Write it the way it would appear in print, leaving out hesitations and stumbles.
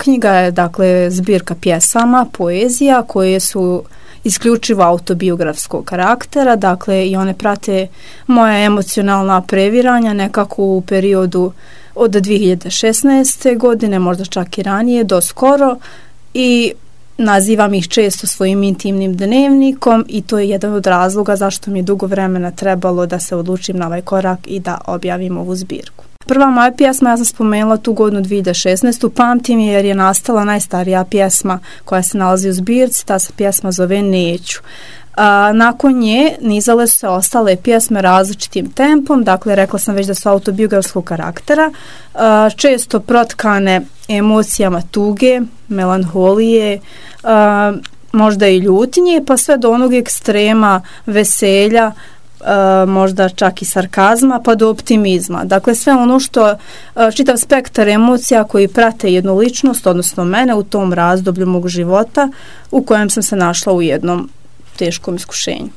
knjiga je dakle zbirka pjesama, poezija koje su isključivo autobiografskog karaktera, dakle i one prate moja emocionalna previranja nekako u periodu od 2016. godine, možda čak i ranije, do skoro, i nazivam ih često svojim intimnim dnevnikom i to je jedan od razloga zašto mi je dugo vremena trebalo da se odlučim na ovaj korak i da objavim ovu zbirku. Prva moja pjesma, ja sam spomenula tu godinu 2016. Pamtim je jer je nastala najstarija pjesma koja se nalazi u zbirci, ta se pjesma zove Neću. Nakon nje nizale su se ostale pjesme različitim tempom, dakle rekla sam već da su autobiografskog karaktera, često protkane emocijama tuge, melanholije, možda i ljutnje, pa sve do onog ekstrema veselja, možda čak i sarkazma, pa do optimizma. Dakle, sve ono što, čitav spektar emocija koji prate jednu ličnost, odnosno mene u tom razdoblju mog života u kojem sam se našla u jednom teškom iskušenju.